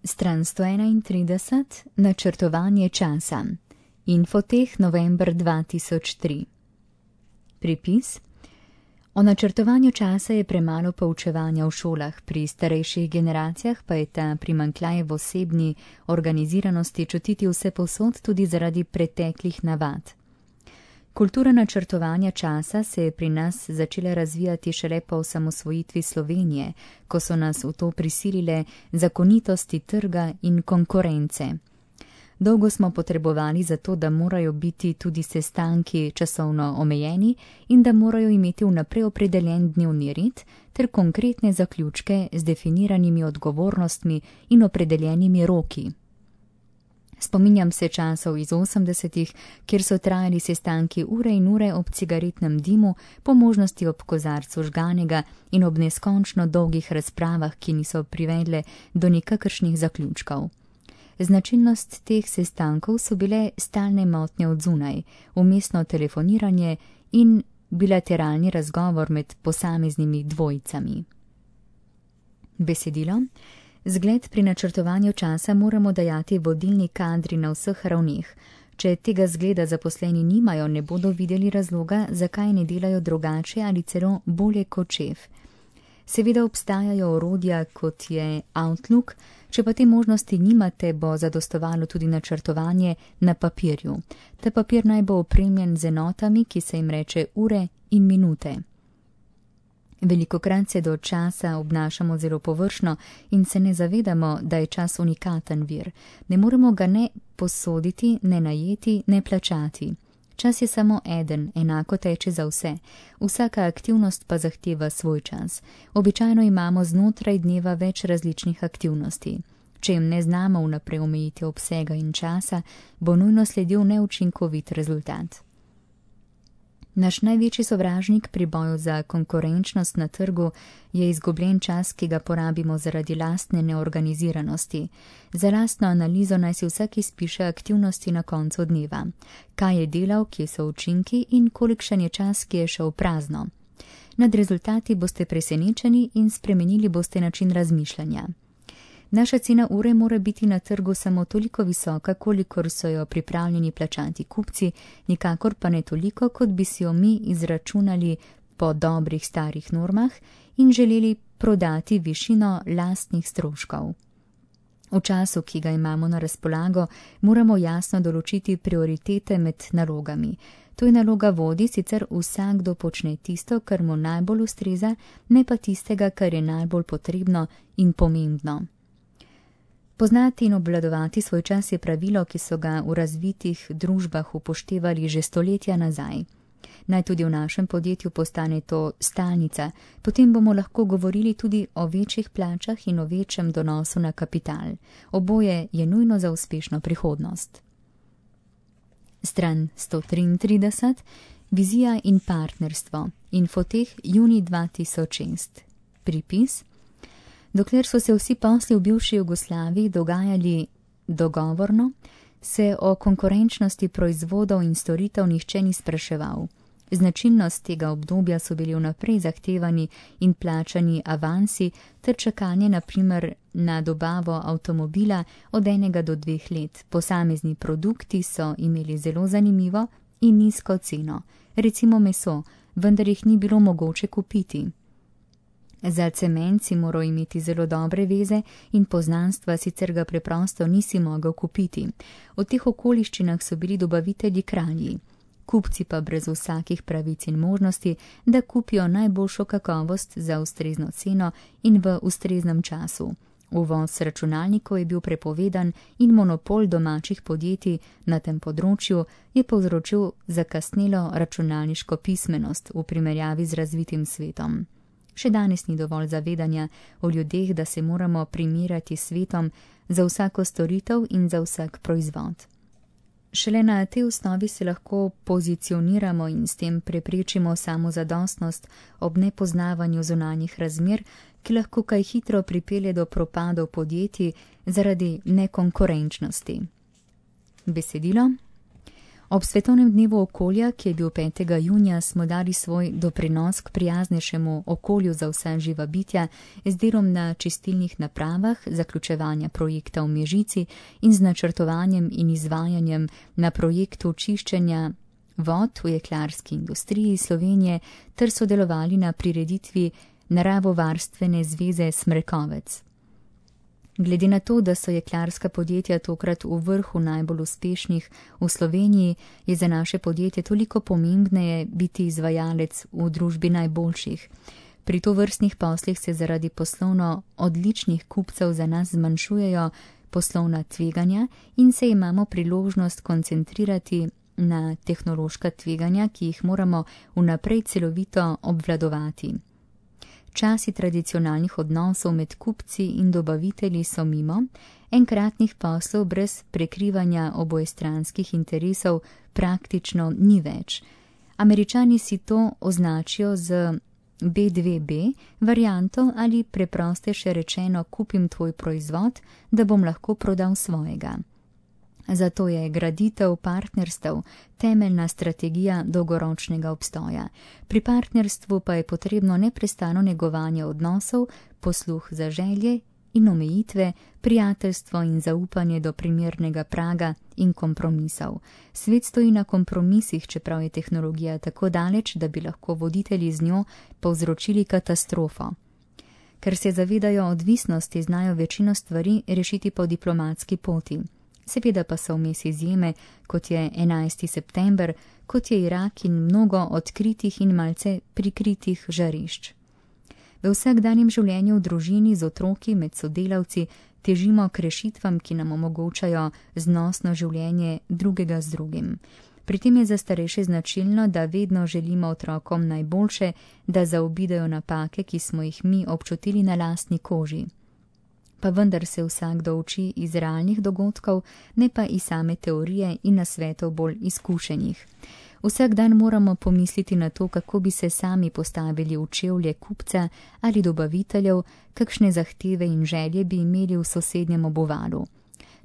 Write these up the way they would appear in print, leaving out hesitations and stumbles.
Stran 131. Načrtovanje časa. Infoteh november 2003. Pripis. O načrtovanju časa je premalo poučevanja v šolah, pri starejših generacijah pa je ta primanjkljaj v osebni organiziranosti čutiti vsepovsod tudi zaradi preteklih navad. Kultura načrtovanja časa se je pri nas začela razvijati šele po osamosvojitvi Slovenije, ko so nas v to prisilile zakonitosti trga in konkurence. Dolgo smo potrebovali za to, da morajo biti tudi sestanki časovno omejeni in da morajo imeti vnaprej opredeljen dnevni red ter konkretne zaključke z definiranimi odgovornostmi in opredeljenimi roki. Spominjam se časov iz 80-ih, kjer so trajali sestanki ure in ure ob cigaretnem dimu, po možnosti ob kozarcu žganega in ob neskončno dolgih razpravah, ki niso privedle do nikakršnih zaključkov. Značilnost teh sestankov so bile stalne motnje od zunaj, vmesno telefoniranje in bilateralni razgovor med posameznimi dvojicami. Besedilo. Zgled pri načrtovanju časa moramo dajati vodilni kadri na vseh ravneh. Če tega zgleda zaposleni nimajo, ne bodo videli razloga, zakaj ne delajo drugače ali celo bolje kot šef. Seveda obstajajo orodja, kot je Outlook, če pa te možnosti nimate, bo zadostovalo tudi načrtovanje na papirju. Ta papir naj bo opremljen z enotami, ki se jim reče ure in minute. Velikokrat se do časa obnašamo zelo površno in se ne zavedamo, da je čas unikaten vir. Ne moremo ga ne posoditi, ne najeti, ne plačati. Čas je samo eden, enako teče za vse. Vsaka aktivnost pa zahteva svoj čas. Običajno imamo znotraj dneva več različnih aktivnosti. Če jim ne znamo vnaprej omejiti obsega in časa, bo nujno sledil neučinkovit rezultat. Naš največji sovražnik pri boju za konkurenčnost na trgu je izgubljen čas, ki ga porabimo zaradi lastne neorganiziranosti. Za lastno analizo naj si vsak izpiše aktivnosti na koncu dneva. Kaj je delal, kje so učinki in kolikšen je čas, ki je šel prazno. Nad rezultati boste presenečeni in spremenili boste način razmišljanja. Naša cena ure mora biti na trgu samo toliko visoka, kolikor so jo pripravljeni plačati kupci, nikakor pa ne toliko, kot bi si jo mi izračunali po dobrih starih normah in želeli prodati višino lastnih stroškov. V času, ki ga imamo na razpolago, moramo jasno določiti prioritete med nalogami. To je naloga vodij, sicer vsakdo počne tisto, kar mu najbolj ustreza, ne pa tistega, kar je najbolj potrebno in pomembno. Poznati in obvladovati svoj čas je pravilo, ki so ga v razvitih družbah upoštevali že stoletja nazaj. Naj tudi v našem podjetju postane to stalnica, potem bomo lahko govorili tudi o večjih plačah in o večjem donosu na kapital. Oboje je nujno za uspešno prihodnost. Stran 133. Vizija in partnerstvo. Infoteh junij 2006. Pripis. Dokler so se vsi posli v bivši Jugoslaviji dogajali dogovorno, se o konkurenčnosti proizvodov in storitev nihče ni spraševal. Značilnost tega obdobja so bili vnaprej zahtevani in plačani avansi ter čakanje na primer na dobavo avtomobila od 1 do 2 let. Posamezni produkti so imeli zelo zanimivo in nizko ceno, recimo meso, vendar jih ni bilo mogoče kupiti. Za cement si moral imeti zelo dobre veze in poznanstva, sicer ga preprosto nisi mogel kupiti. V teh okoliščinah so bili dobavitelji kralji. Kupci pa brez vsakih pravic in možnosti, da kupijo najboljšo kakovost za ustrezno ceno in v ustreznem času. Uvoz računalnikov je bil prepovedan in monopol domačih podjetij na tem področju je povzročil zakasnelo računalniško pismenost v primerjavi z razvitim svetom. Še danes ni dovolj zavedanja o ljudeh, da se moramo primerjati s svetom za vsako storitev in za vsak proizvod. Šele na tej osnovi se lahko pozicioniramo in s tem preprečimo samozadostnost ob nepoznavanju zunanjih razmer, ki lahko kaj hitro pripelje do propadov podjetij zaradi nekonkurenčnosti. Besedilo. Ob Svetovnem dnevu okolja, ki je bil 5. junija, smo dali svoj doprinos k prijaznejšemu okolju za vsa živa bitja z delom na čistilnih napravah, zaključevanja projekta v Mežici in z načrtovanjem in izvajanjem na projektu čiščenja vod v jeklarski industriji Slovenije ter sodelovali na prireditvi Naravovarstvene zveze Smrekovec. Glede na to, da so jeklarska podjetja tokrat v vrhu najbolj uspešnih v Sloveniji, je za naše podjetje toliko pomembneje biti izvajalec v družbi najboljših. Pri tovrstnih poslih se zaradi poslovno odličnih kupcev za nas zmanjšujejo poslovna tveganja in se imamo priložnost koncentrirati na tehnološka tveganja, ki jih moramo vnaprej celovito obvladovati. Časi tradicionalnih odnosov med kupci in dobavitelji so mimo, enkratnih poslov brez prekrivanja obojestranskih interesov praktično ni več. Američani si to označijo z B2B varianto ali preprosteje rečeno kupim tvoj proizvod, da bom lahko prodal svojega. Zato je graditev partnerstev temeljna strategija dolgoročnega obstoja. Pri partnerstvu pa je potrebno neprestano negovanje odnosov, posluh za želje in omejitve, prijateljstvo in zaupanje do primernega praga in kompromisov. Svet stoji na kompromisih, čeprav je tehnologija tako daleč, da bi lahko voditelji z njo povzročili katastrofo. Ker se zavedajo odvisnosti, znajo večino stvari rešiti po diplomatski poti. Seveda pa so vmes izjeme, kot je 11. september, kot je Irak in mnogo odkritih in malce prikritih žarišč. V vsakdanjem življenju v družini z otroki med sodelavci težimo k rešitvam, ki nam omogočajo znosno življenje drugega z drugim. Pri tem je za starejše značilno, da vedno želimo otrokom najboljše, da zaobidejo napake, ki smo jih mi občutili na lastni koži. Pa vendar se vsakdo uči iz realnih dogodkov, ne pa iz same teorije in nasvetov bolj izkušenih. Vsak dan moramo pomisliti na to, kako bi se sami postavili v čevlje kupca ali dobaviteljev, kakšne zahteve in želje bi imeli v sosednjem obuvalu.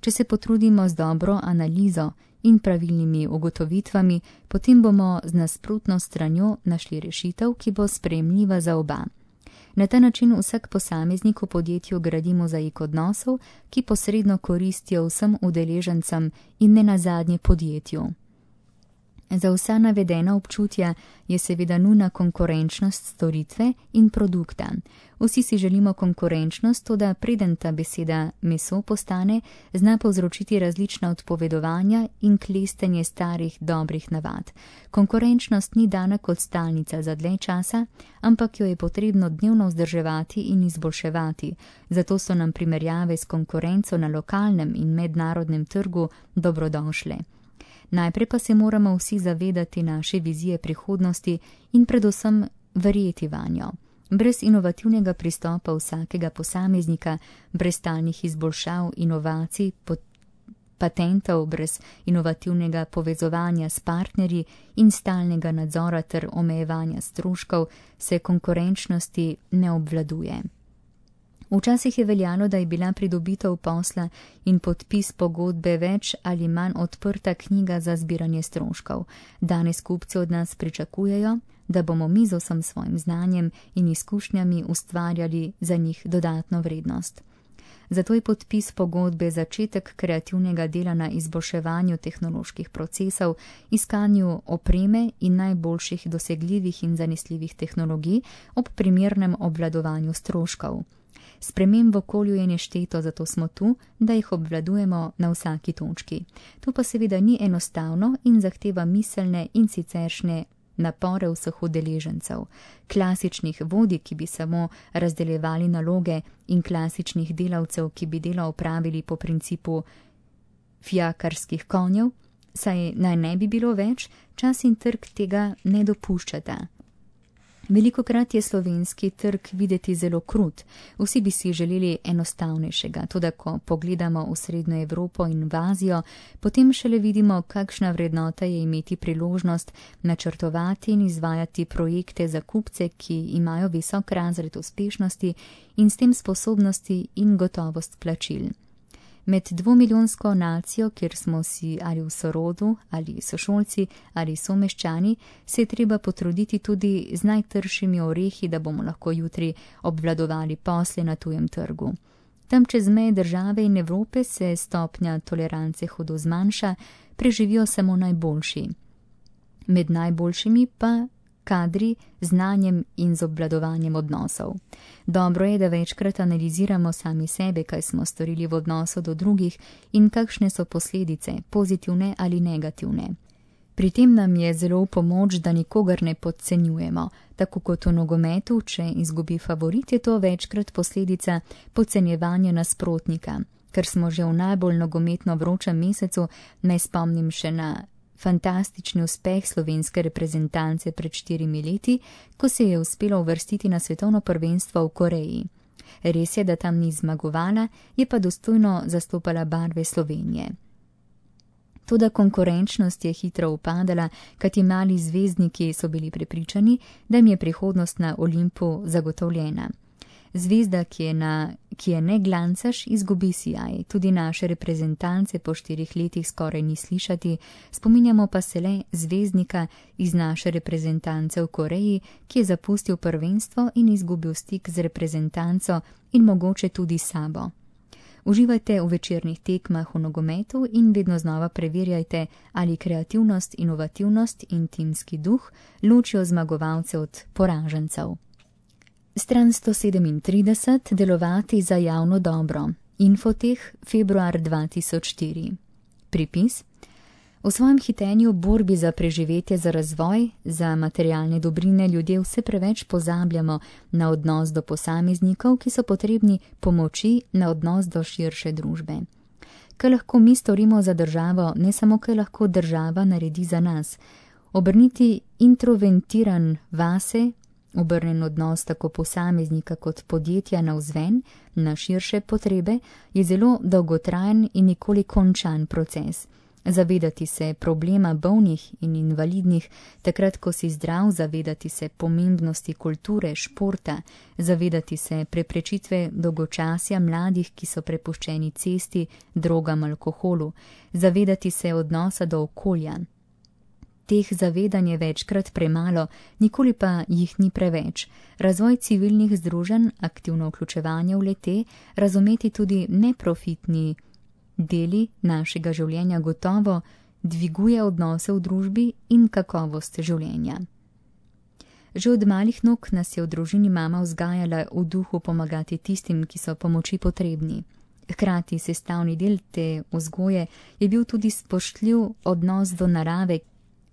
Če se potrudimo z dobro analizo in pravilnimi ugotovitvami, potem bomo z nasprotno stranjo našli rešitev, ki bo sprejemljiva za oba. Na ta način vsak posameznik v podjetju gradi mozaik odnosov, ki posredno koristijo vsem udeležencem in ne nazadnje podjetju. Za vsa navedena občutja je seveda nujna konkurenčnost storitve in produkta. Vsi si želimo konkurenčnost, toda preden ta beseda meso postane, zna povzročiti različna odpovedovanja in klestenje starih dobrih navad. Konkurenčnost ni dana kot stalnica za dlje časa, ampak jo je potrebno dnevno vzdrževati in izboljševati. Zato so nam primerjave s konkurenco na lokalnem in mednarodnem trgu dobrodošle. Najprej pa se moramo vsi zavedati naše vizije prihodnosti in predvsem verjeti vanjo. Brez inovativnega pristopa vsakega posameznika, brez stalnih izboljšav, inovacij, patentov, brez inovativnega povezovanja s partnerji in stalnega nadzora ter omejevanja stroškov se konkurenčnosti ne obvladuje. Včasih je veljalo, da je bila pridobitev posla in podpis pogodbe več ali manj odprta knjiga za zbiranje stroškov. Danes kupci od nas pričakujejo, da bomo mi z vsem svojim znanjem in izkušnjami ustvarjali za njih dodatno vrednost. Zato je podpis pogodbe začetek kreativnega dela na izboljševanju tehnoloških procesov, iskanju opreme in najboljših dosegljivih in zanesljivih tehnologij ob primernem obvladovanju stroškov. Sprememb v okolju je nešteto, zato smo tu, da jih obvladujemo na vsaki točki. To pa seveda ni enostavno in zahteva miselne in siceršnje napore vseh udeležencev. Klasičnih vodij, ki bi samo razdeljevali naloge, in klasičnih delavcev, ki bi delo opravili po principu fijakarskih konjev, saj naj ne bi bilo več, čas in trg tega ne dopuščata. Velikokrat je slovenski trg videti zelo krut. Vsi bi si želeli enostavnejšega, toda ko pogledamo v Srednjo Evropo in v Azijo, potem šele vidimo, kakšna vrednota je imeti priložnost načrtovati in izvajati projekte za kupce, ki imajo visok razred uspešnosti in s tem sposobnosti in gotovost plačil. Med 2-milijonsko nacijo, kjer smo si ali v sorodu, ali sošolci, ali someščani, se je treba potruditi tudi z najtršimi orehi, da bomo lahko jutri obvladovali posle na tujem trgu. Tam čez meje države in Evrope se stopnja tolerance hudo zmanjša, preživijo samo najboljši. Med najboljšimi pa kadri, znanjem in z obvladovanjem odnosov. Dobro je, da večkrat analiziramo sami sebe, kaj smo storili v odnosu do drugih in kakšne so posledice, pozitivne ali negativne. Pri tem nam je zelo v pomoč, da nikogar ne podcenjujemo. Tako kot v nogometu, če izgubi favorit, je to večkrat posledica podcenjevanja nasprotnika. Ker smo že v najbolj nogometno vročem mesecu, naj spomnim še na fantastični uspeh slovenske reprezentance pred 4 leti, ko se je uspelo uvrstiti na svetovno prvenstvo v Koreji. Res je, da tam ni zmagovala, je pa dostojno zastopala barve Slovenije. Toda konkurenčnost je hitro upadala, kajti mali zvezdniki so bili prepričani, da jim je prihodnost na Olimpu zagotovljena. Zvezda, ki je ne glancaš, izgubi sijaj. Tudi naše reprezentance po 4 letih skoraj ni slišati, spominjamo pa se le zvezdnika iz naše reprezentance v Koreji, ki je zapustil prvenstvo in izgubil stik z reprezentanco in mogoče tudi sabo. Uživajte v večernih tekmah v nogometu in vedno znova preverjajte, ali kreativnost, inovativnost in timski duh ločijo zmagovalce od poražencev. Stran 137. Delovati za javno dobro. Infoteh, februar 2004. Pripis. V svojem hitenju borbi za preživetje, za razvoj, za materialne dobrine ljudje vse preveč pozabljamo na odnos do posameznikov, ki so potrebni pomoči, na odnos do širše družbe. Kaj lahko mi storimo za državo, ne samo kaj lahko država naredi za nas. Obrniti introventiran vase, obrnen odnos tako posameznika kot podjetja navzven, na širše potrebe, je zelo dolgotrajen in nikoli končan proces. Zavedati se problema bolnih in invalidnih, takrat, ko si zdrav, zavedati se pomembnosti kulture, športa, zavedati se preprečitve dolgočasja mladih, ki so prepuščeni cesti, drogam, alkoholu, zavedati se odnosa do okolja. Teh zavedanj je večkrat premalo, nikoli pa jih ni preveč. Razvoj civilnih združenj, aktivno vključevanje v le-te, razumeti tudi neprofitni deli našega življenja gotovo dviguje odnose v družbi in kakovost življenja. Že od malih nog nas je v družini mama vzgajala v duhu pomagati tistim, ki so pomoči potrebni. Hkrati sestavni del te vzgoje je bil tudi spoštljiv odnos do narave,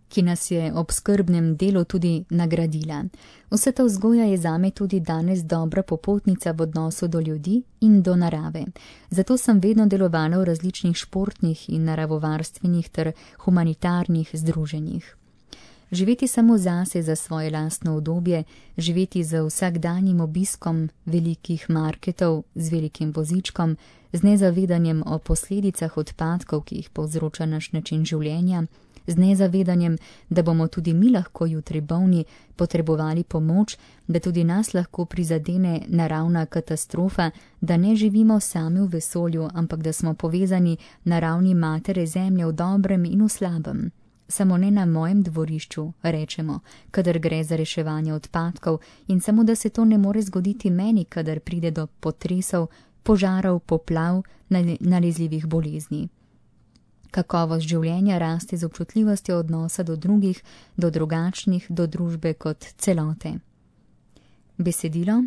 ki nas je ob skrbnem delu tudi nagradila. Vsa ta vzgoja je zame tudi danes dobra popotnica v odnosu do ljudi in do narave. Zato sem vedno delovala v različnih športnih in naravovarstvenih ter humanitarnih združenjih. Živeti samo zase, za svoje lastno udobje, živeti z vsakdanjim obiskom velikih marketov, z velikim vozičkom, z nezavedanjem o posledicah odpadkov, ki jih povzroča naš način življenja, z nezavedanjem, da bomo tudi mi lahko jutri bolni, potrebovali pomoč, da tudi nas lahko prizadene naravna katastrofa, da ne živimo sami v vesolju, ampak da smo povezani na ravni matere zemlje v dobrem in v slabem. Samo ne na mojem dvorišču, rečemo, kadar gre za reševanje odpadkov, in samo da se to ne more zgoditi meni, kadar pride do potresov, požarov, poplav, nalezljivih bolezni. Kakovost življenja raste z občutljivostjo odnosa do drugih, do drugačnih, do družbe kot celote. Besedilo.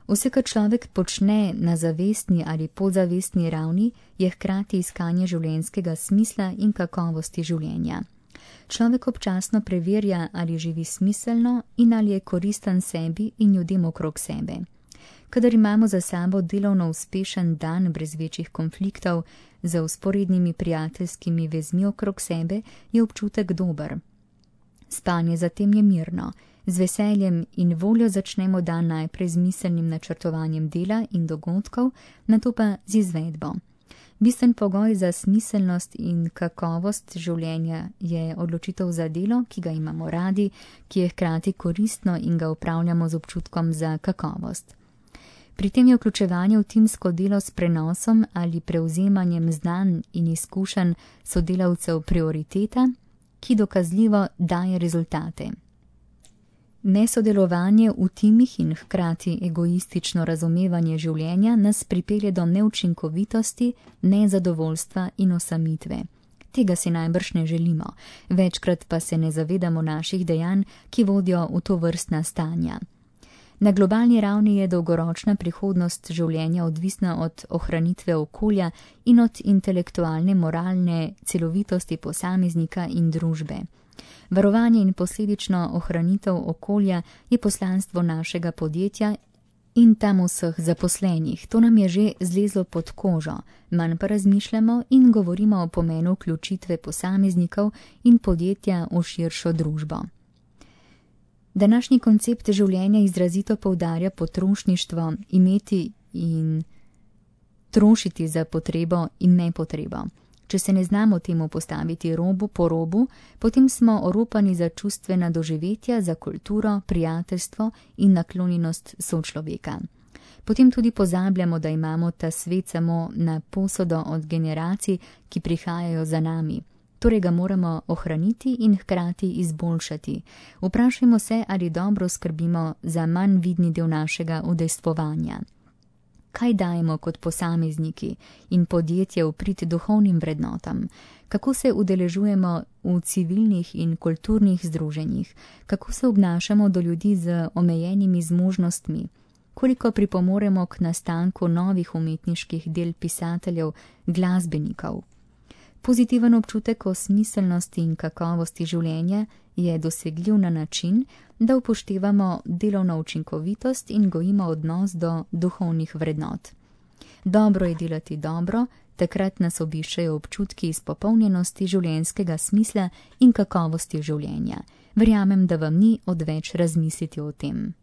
Vse, kar človek počne na zavestni ali podzavestni ravni, je hkrati iskanje življenjskega smisla in kakovosti življenja. Človek občasno preverja, ali živi smiselno in ali je koristen sebi in ljudem okrog sebe. Kadar imamo za sabo delovno uspešen dan brez večjih konfliktov, za vzporednimi prijateljskimi vezmi okrog sebe, je občutek dober. Spanje zatem je mirno. Z veseljem in voljo začnemo dan najprej z miselnim načrtovanjem dela in dogodkov, nato pa z izvedbo. Bistven pogoj za smiselnost in kakovost življenja je odločitev za delo, ki ga imamo radi, ki je hkrati koristno in ga upravljamo z občutkom za kakovost. Pri tem je vključevanje v timsko delo s prenosom ali prevzemanjem znanj in izkušenj sodelavcev prioriteta, ki dokazljivo daje rezultate. Nesodelovanje v timih in hkrati egoistično razumevanje življenja nas pripelje do neučinkovitosti, nezadovoljstva in osamitve. Tega si najbrž ne želimo, večkrat pa se ne zavedamo naših dejanj, ki vodijo v to vrstna stanja. Na globalni ravni je dolgoročna prihodnost življenja odvisna od ohranitve okolja in od intelektualne, moralne celovitosti posameznika in družbe. Varovanje in posledično ohranitev okolja je poslanstvo našega podjetja in tam vseh zaposlenih. To nam je že zlezlo pod kožo, manj pa razmišljamo in govorimo o pomenu vključitve posameznikov in podjetja v širšo družbo. Današnji koncept življenja izrazito poudarja potrošništvo, imeti in trošiti za potrebo in nepotrebo. Če se ne znamo temu postaviti robu po robu, potem smo oropani za čustvena doživetja, za kulturo, prijateljstvo in naklonjenost sočloveka. Potem tudi pozabljamo, da imamo ta svet samo na posodo od generacij, ki prihajajo za nami. Torej ga moramo ohraniti in hkrati izboljšati. Vprašajmo se, ali dobro skrbimo za manj vidni del našega udejstvovanja. Kaj dajemo kot posamezniki in podjetje v prid duhovnim vrednotam? Kako se udeležujemo v civilnih in kulturnih združenjih? Kako se obnašamo do ljudi z omejenimi zmožnostmi? Koliko pripomoremo k nastanku novih umetniških del pisateljev, glasbenikov? Pozitiven občutek o smiselnosti in kakovosti življenja je dosegljiv na način, da upoštevamo delovno učinkovitost in gojimo odnos do duhovnih vrednot. Dobro je delati dobro, takrat nas obiščejo občutki izpopolnjenosti življenjskega smisla in kakovosti življenja. Verjamem, da vam ni odveč razmisliti o tem.